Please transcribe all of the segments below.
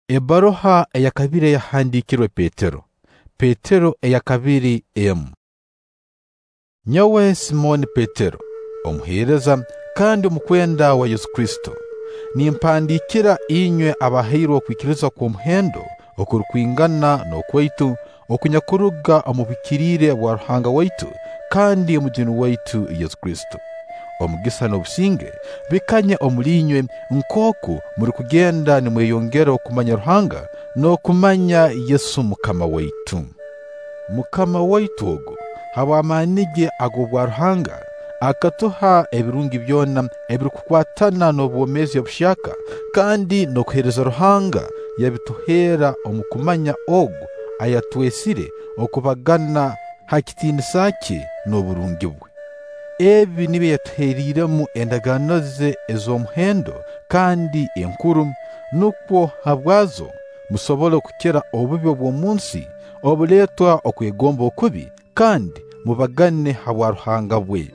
Ebbaruha eyakabiri eyahandiikirwe Petero. Petero eyakabiri emu. Nyowe Simooni Petero, omuheereza kandi omukwenda wa Yesu Kristo, nimpandiikira inywe abahairwe okwikiriza kw'omuhendo okurukwingana n'okwaitu okunyakuruga omu buhikiriire bwa Ruhanga waitu kandi Omujuni waitu Yesu Kristo. Omugisa n'obusinge bikanye omuli inywe nkooku murukugenda nimweyongera okumanya Ruhanga n'okumanya Yesu Mukama waitu. Mukama waitu ogu habw'amaani ge ag'obwa Ruhanga akatuha ebirungi byona ebirukukwatana n'obwomeezi obuhyaka kandi n'okuheereza Ruhanga yabituheera omu kumanya ogu ayatwesire okubagana ha kitiinisa kye n'oburungi bwe. Ebi nibyo yatuheeriiremu endagaano ze ez'omuhendo kandi enkuru, nukwo habwazo musobole kukira obubi obw'omunsi obuleetwa okwegomba okubi kandi mubagane ha bwaruhanga bwe.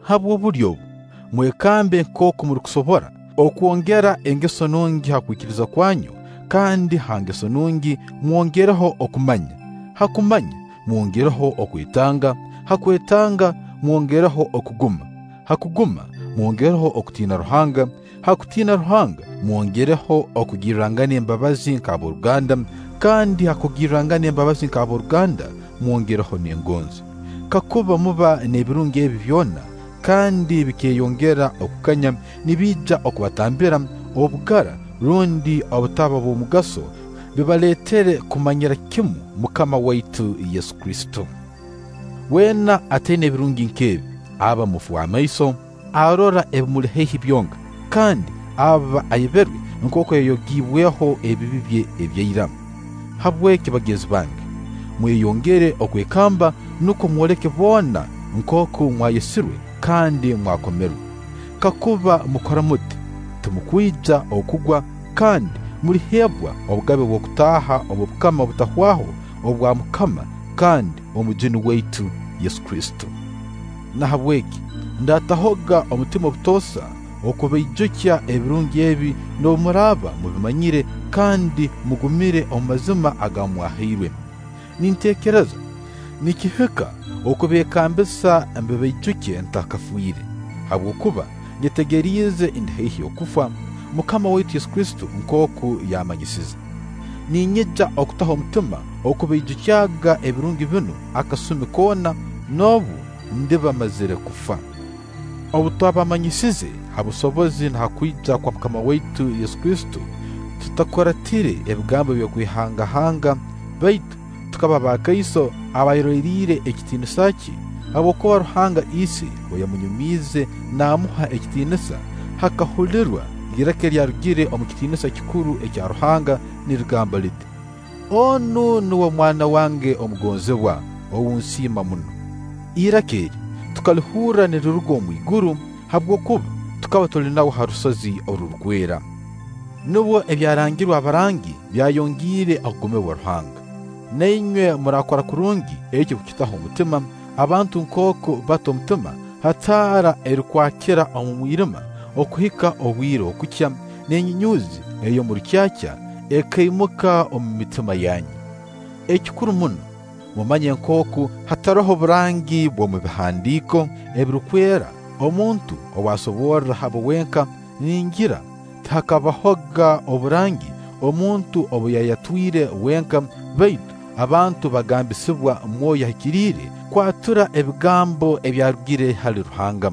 Habw'obulyo obu mwekambe nkooku murukusobora okwongera engeso nungi ha kwikiriza kwanyu, kandi ha ngeso nungi mwongereho okumanya, ha kumanya mwongereho okwetanga, ha kwetanga mwongereho okuguma, ha kuguma mwongereho okutiina Ruhanga, ha kutiina Ruhanga mwongereho okugirrangana embabazi nk'ab'oruganda, kandi ha kugirrangana embabazi nk'ab'oruganda mwongereho n'engonzi. Kakuba muba n'ebirungi ebi byona kandi bikeyongera okukanya, nibiija okubatambira obugara rundi obutaba bw'omugaso, bibaleetere kumanyira kimu Mukama waitu Yesu Kristo. Weena ataina ebirungi nk'ebi aba mufu w'amaiso, arora ebimuli haihi byonka, kandi aba ayeberwe nkooku yayogiibweho ebibi bye ebyaira. Habweki bagenzi bange, mweyongere okwekamba nukwo mwoleke boona nkooku mwayesirwe kandi mwakomerwe. Kakuba mukora muti, timukwija okugwa kandi muliheebwa obugabe bw'okutaaha omu bukama obutahwaho obwa Mukama kandi Omujuni waitu Yesu Kristo. Nahabweki ndatahoga omutima obutoosa okubaijukya ebirungi ebi n'obu muraaba mubimanyire kandi mugumire omu mazima aga mwahairwe. Ninteekereza nikihika okubeekambisa mbibaijukye ntakafiire, habwokuba nyetegeriize ndi haihi okufa, Mukama waitu Yesu Kristo nkooku yammanyisize. Ninyija okutaho omutima okubaijukyaga ebirungi binu akasumi koona n'obu ndiba mazire kufa. Obu twabamanyisize ha busobozi na ha kwija kwa Mukama waitu Yesu Kristo, tutakuratire ebigambo by'okwehangahanga, baitu tukaba bakaiso abayeroliire ekitiinisa kye, habwokuba Ruhanga Ise obu yamunyumiize naamuha ekitiinisa, hakahulirwa iraka eryarugire omu kitiinisa kikuru ekya Ruhanga nirigamba liti: “Onu nuwe Mwana wange omugonzibwa, ou nsiima muno.” Iraka eri tukalihurra niriruga omwiguru, habwokuba tukaba tuli nawe ha rusozi orurukwera. Nubwo ebyarangirwe abarangi byayongiire okugumibwa Ruhanga. Na inywe murakora kurungi ekyo kukitaho omutima, abantu nkooku bata omutima ha taara erukwakira omu mwirima okuhika obwire okukya, n'enyunyuuzi ey'omu rukyakya ekaimuka omu mitima yanyu. Ekikuru muno, mumanye nkooku hataroho burangi bw'omu bihandiiko ebirukwera omuntu ow'asoborra habwe wenka. Ningira tihakabahoga oburangi omuntu obu yayatwire wenka, baitu abantu bagambisibwa Mwoyo Ahikiriire kwatura ebigambo ebyarugire hali Ruhanga.